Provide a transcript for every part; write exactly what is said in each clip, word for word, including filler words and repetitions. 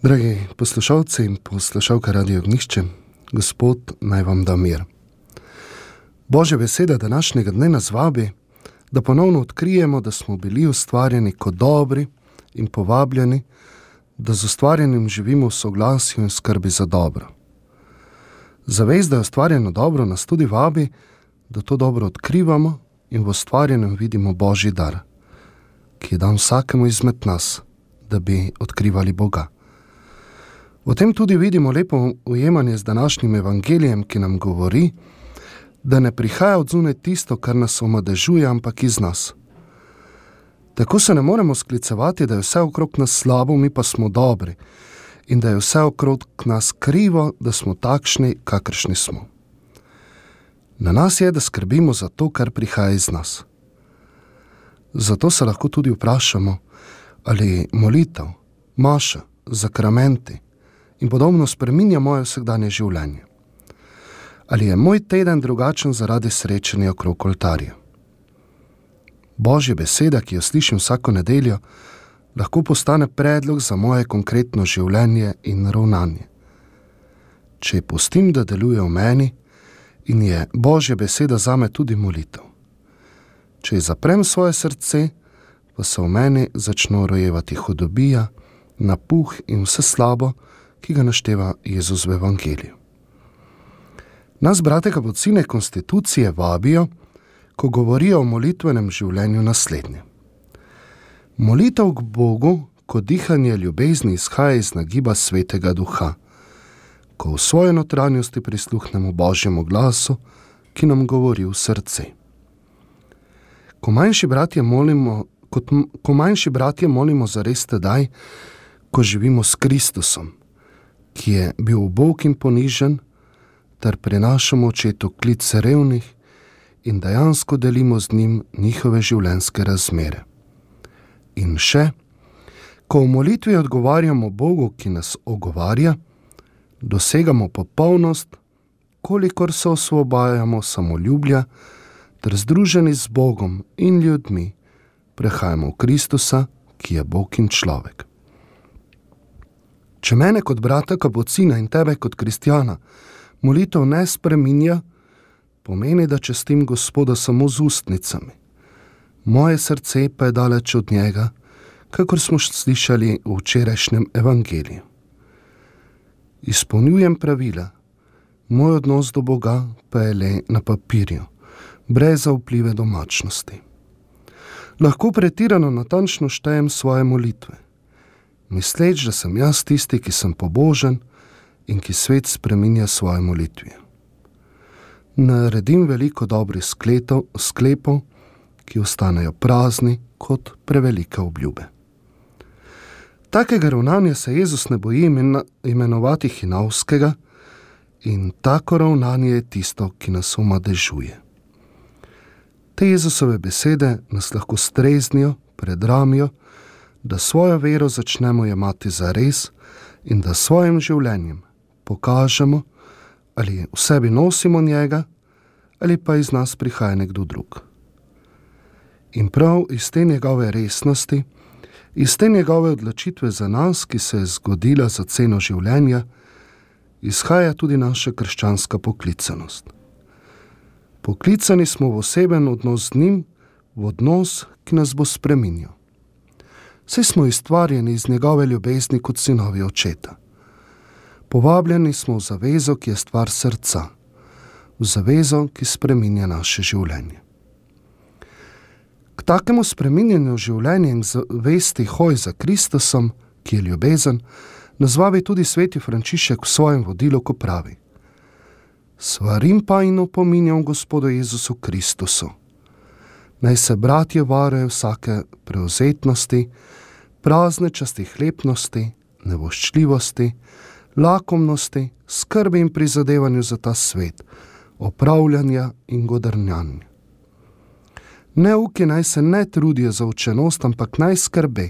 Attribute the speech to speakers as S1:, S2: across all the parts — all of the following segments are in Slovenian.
S1: Dragi poslušalci in poslušalke Radio Ognjišče, Gospod naj vam da mir. Božja beseda današnjega dne nas vabi, da ponovno odkrijemo, da smo bili ustvarjeni kot dobri in povabljeni, da z ustvarjenim živimo v soglasju in skrbi za dobro. Zavest, da je ustvarjeno dobro, nas tudi vabi, da to dobro odkrivamo in v ustvarjenem vidimo Božji dar, ki je dan vsakemu izmed nas, da bi odkrivali Boga. V tem tudi vidimo lepo ujemanje z današnjim evangelijem, ki nam govori, da ne prihaja od zunaj tisto, kar nas omadežuje, ampak iz nas. Tako se ne moremo sklicevati, da je vse okrog nas slabo, mi pa smo dobri, in da je vse okrog nas krivo, da smo takšni, kakršni smo. Na nas je, da skrbimo za to, kar prihaja iz nas. Zato se lahko tudi vprašamo, ali molitev, maša, zakramenti in podobno spreminja moje vsakdanje življenje. Ali je moj teden drugačen zaradi srečanja okrog oltarja? Božja beseda, ki jo slišim vsako nedeljo, lahko postane predlog za moje konkretno življenje in ravnanje. Če pustim, da deluje v meni, in je Božja beseda zame tudi molitev. Če zaprem svoje srce, pa se v meni začno rojevati hudobija, napuh in vse slabo, ki ga našteva Jezus v evangeliju. Nas, brate kapucine konstitucije, vabijo, ko govorijo o molitvenem življenju, naslednje. Molitev k Bogu kot dihanje ljubezni izhaja iz nagiba Svetega Duha, ko v svoji notranjosti prisluhnemo Božjemu glasu, ki nam govori v srce. Ko manjši bratje molimo, kot, ko manjši bratje molimo zares tedaj, ko živimo s Kristusom, ki je bil ubog in ponižen, ter prinašamo očetu klic revnih in dejansko delimo z njim njihove življenjske razmere. In še, ko v molitvi odgovarjamo Bogu, ki nas ogovarja, dosegamo popolnost, kolikor se osvobajamo samoljubja, ter združeni z Bogom in ljudmi prehajamo v Kristusa, ki je Bog in človek. Če mene kot brata kapucina in tebe kot kristjana molitev ne spreminja, pomeni, da častim Gospoda samo z ustnicami. Moje srce pa je daleč od njega, kakor smo slišali v včerajšnjem evangeliju. Izpolnjujem pravila, moj odnos do Boga pa je le na papirju, brez zaupljive domačnosti. Lahko pretirano natančno štejem svoje molitve, misleč, da sem jaz tisti, ki sem pobožen in ki svet spreminja svoje molitve. Naredim veliko dobrih skletov, sklepov, ki ostanejo prazni kot prevelike obljube. Takega ravnanja se Jezus ne boji imenovati hinavskega in tako ravnanje je tisto, ki nas omadežuje. Te Jezusove besede nas lahko streznijo, predramijo, da svojo vero začnemo jemati za res in da svojim življenjem pokažemo, ali v sebi nosimo njega, ali pa iz nas prihaja nekdo drug. In prav iz te njegove resnosti, iz te njegove odločitve za nas, ki se je zgodila za ceno življenja, izhaja tudi naša krščanska poklicanost. Poklicani smo v oseben odnos z njim, v odnos, ki nas bo spreminjal. Saj smo ustvarjeni iz njegove ljubezni kot sinovi očeta. Povabljeni smo v zavezo, ki je stvar srca, v zavezo, ki spreminja naše življenje. K takemu spreminjanju življenja in zavesti hoj za Kristusom, ki je ljubezen, nas vabi tudi sveti Frančišek v svojem vodilu, ko pravi: Svarim pa in opominjam Gospodu Jezusu Kristusu, naj se bratje varujejo vsake prevzetnosti, prazne častihlepnosti, nevoščljivosti, lakomnosti, skrbi in prizadevanju za ta svet, opravljanja in godrnjanja. Neuki naj se ne trudijo za učenost, ampak naj skrbe,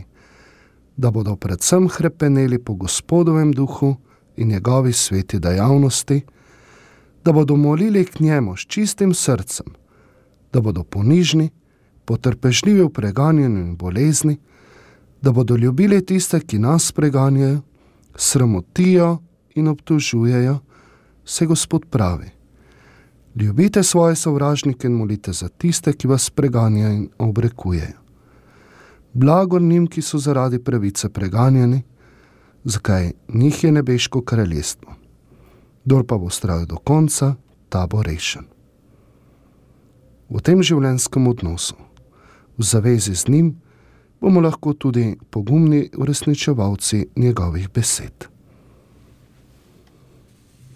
S1: da bodo predvsem hrepeneli po Gospodovem duhu in njegovi sveti dejavnosti, da bodo molili k njemu s čistim srcem, da bodo ponižni, potrpežljivi v preganjanju in bolezni, da bodo ljubili tiste, ki nas preganjajo, sramotijo in obtožujejo, se Gospod pravi: ljubite svoje sovražnike in molite za tiste, ki vas preganjajo in obrekujejo. Blagor njim, ki so zaradi pravice preganjani, zakaj njih je nebeško kraljestvo. Kdor pa bo vztrajal do konca, ta bo rešen. V tem življenjskem odnosu, v zavezi z njim, bomo lahko tudi pogumni uresničevalci njegovih besed.